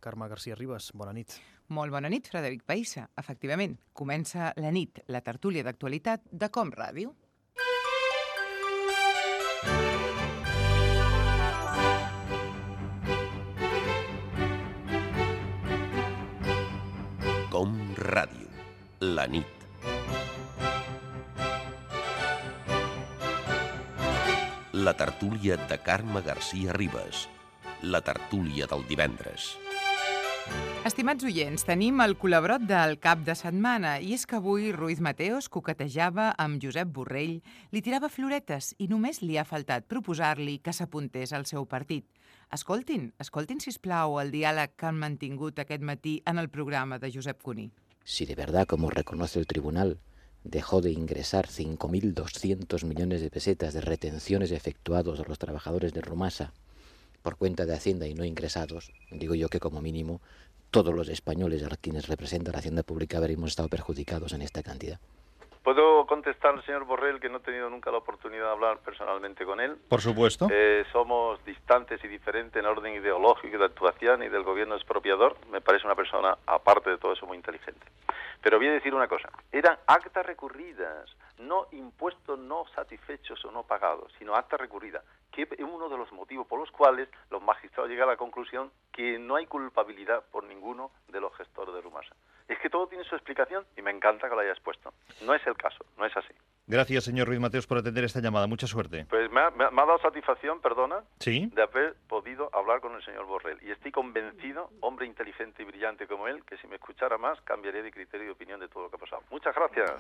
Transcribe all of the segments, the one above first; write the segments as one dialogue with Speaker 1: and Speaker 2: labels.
Speaker 1: Carme García Ribas. Bona nit.
Speaker 2: Molt bona nit, Frederic Païssa. Efectivament, comença la nit, la tertúlia d'actualitat de Com Ràdio.
Speaker 3: Com Ràdio, la nit. La tertúlia de Carme García Ribas. La tertúlia del divendres.
Speaker 2: Estimats oients, tenim el col·laborot del cap de setmana i és que avui Ruiz Mateos coquetejava amb Josep Borrell, li tirava floretes i només li ha faltat proposar-li que s'apuntés al seu partit. Escoltin, sisplau, el diàleg que han mantingut aquest matí en el programa de Josep Cuní.
Speaker 4: Si de verdad, como reconoce el tribunal, dejó de ingresar 5.200 millones de pesetas de retenciones efectuados a los trabajadores de Rumasa por cuenta de Hacienda y no ingresados, digo yo que como mínimo todos los españoles a quienes representa la Hacienda Pública habríamos estado perjudicados en esta cantidad.
Speaker 5: ¿Puedo contestar al señor Borrell que no he tenido nunca la oportunidad de hablar personalmente con él?
Speaker 1: Por supuesto.
Speaker 5: Somos distantes y diferentes en orden ideológico y de actuación y del gobierno expropiador. Me parece una persona, aparte de todo eso, muy inteligente. Pero voy a decir una cosa. Eran actas recurridas, no impuestos no satisfechos o no pagados, sino actas recurridas, que es uno de los motivos por los cuales los magistrados llegan a la conclusión que no hay culpabilidad por ninguno de los gestores de Rumasa. Es que todo tiene su explicación y me encanta que lo hayas puesto. No es el caso, no es así.
Speaker 1: Gracias, señor Ruiz Mateos, por atender esta llamada. Mucha suerte.
Speaker 5: Pues me ha dado satisfacción, perdona,
Speaker 1: ¿Sí?
Speaker 5: de haber podido hablar con el señor Borrell. Y estoy convencido, hombre inteligente y brillante como él, que si me escuchara más, cambiaría de criterio y opinión de todo lo que ha pasado. Muchas gracias.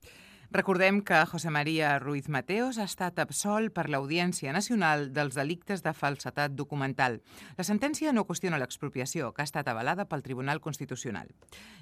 Speaker 2: Recordem que José María Ruiz Mateos ha estat absolt per l'Audiència Nacional dels delictes de falsedat documental. La sentència no qüestiona l'expropiació, que ha estat avalada pel Tribunal Constitucional.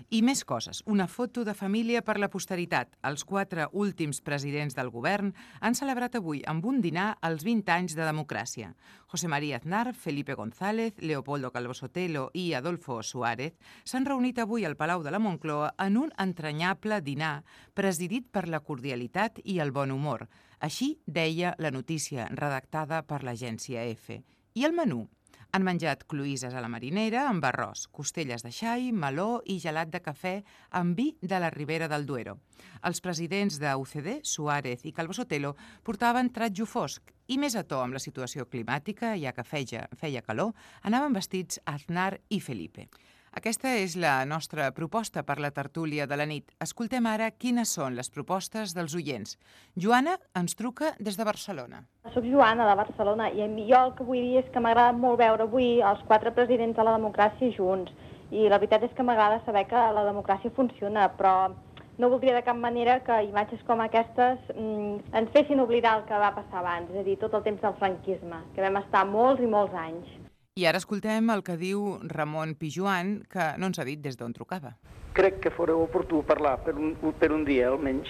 Speaker 2: I més coses. Una foto de família per la posteritat. Els 4 últims presidents del govern han celebrat avui amb un dinar els 20 anys de democràcia. José María Aznar, Felipe González, Leopoldo Calvo Sotelo i Adolfo Suárez s'han reunit avui al Palau de la Moncloa en un entranyable dinar presidit per la cordialitat i el bon humor. Així deia la notícia redactada per l'agència EFE. I el menú? Han menjat cloïsses a la marinera amb arròs, costelles de xai, meló i gelat de cafè amb vi de la Ribera del Duero. Els presidents de UCD, Suárez i Calvo Sotelo, portaven tratjo fosc i més a to amb la situació climàtica, ja que feia calor, anaven vestits Aznar i Felipe. Aquesta és la nostra proposta per la tertúlia de la nit. Escoltem ara quines són les propostes dels oients. Joana ens truca des de Barcelona.
Speaker 6: Soc Joana, de Barcelona, i jo el que vull dir és que m'agrada molt veure avui els 4 presidents de la democràcia junts. I la veritat és que m'agrada saber que la democràcia funciona, però no voldria de cap manera que imatges com aquestes ens fessin oblidar el que va passar abans, és a dir, tot el temps del franquisme, que vam estar molts i molts anys.
Speaker 2: I ara escoltem el que diu Ramon Pijuan, que no ens ha dit des d'on trucava.
Speaker 7: Crec que fora oportú parlar per un dia, almenys,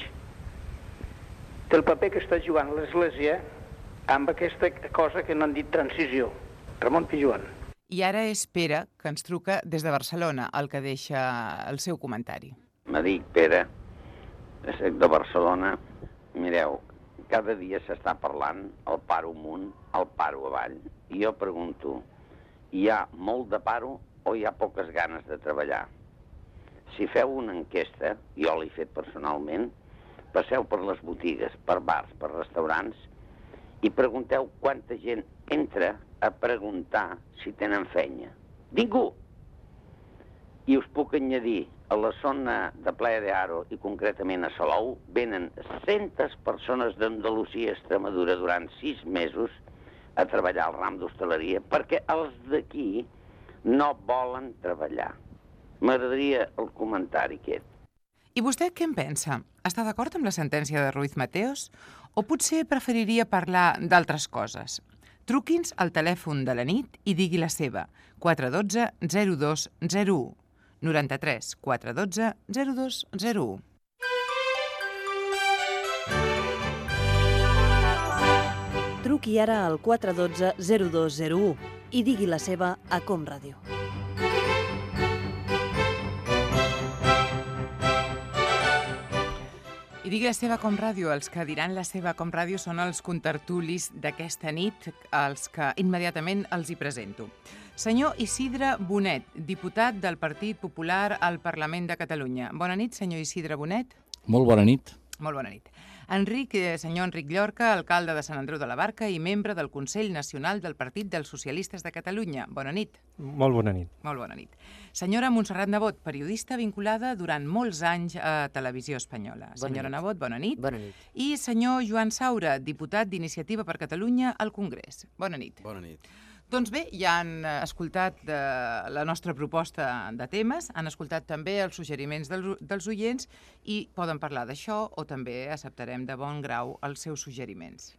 Speaker 7: del paper que està jugant l'Església amb aquesta cosa que no han dit transició. Ramon Pijuan.
Speaker 2: I ara és Pere, que ens truca des de Barcelona, el que deixa el seu comentari.
Speaker 8: Me dic Pere, soc de Barcelona. Mireu, cada dia s'està parlant el paro amunt, el paro avall. I jo pregunto, hi ha molt de paro o hi ha poques ganes de treballar? Si feu una enquesta, jo l'he fet personalment, passeu per les botigues, per bars, per restaurants i pregunteu quanta gent entra a preguntar si tenen feina. Ningú! I us puc añadir, a la zona de Playa de Aro i concretament a Salou, venen centes persones d'Andalusia i Extremadura durant 6 mesos a treballar al ram d'hostaleria perquè els d'aquí no volen treballar. M'agradaria el comentari aquest.
Speaker 2: I vostè què en pensa? Està d'acord amb la sentència de Ruiz Mateos? O potser preferiria parlar d'altres coses? Truqui'ns al telèfon de la nit i digui la seva. 412 0201. 93 412 0201.
Speaker 9: Truqui ara al 412 0201 i digui la seva a Com Ràdio.
Speaker 2: I digui la seva Com Ràdio. Els que diran la seva Com Ràdio són els contertulis d'aquesta nit, els que immediatament els hi presento. Senyor Isidre Bonet, diputat del Partit Popular al Parlament de Catalunya. Bona nit, senyor Isidre Bonet.
Speaker 10: Molt bona nit.
Speaker 2: Molt bona nit. Senyor Enric Llorca, alcalde de Sant Andreu de la Barca i membre del Consell Nacional del Partit dels Socialistes de Catalunya. Bona nit.
Speaker 11: Molt bona nit.
Speaker 2: Molt bona nit. Senyora Montserrat Nebot, periodista vinculada durant molts anys a Televisió Espanyola. Senyora Nebot, bona nit.
Speaker 12: Bona nit.
Speaker 2: I senyor Joan Saura, diputat d'Iniciativa per Catalunya al Congrés. Bona nit.
Speaker 13: Bona nit.
Speaker 2: Doncs bé, ja han escoltat la nostra proposta de temes, han escoltat també els suggeriments dels oients i poden parlar d'això o també acceptarem de bon grau els seus suggeriments.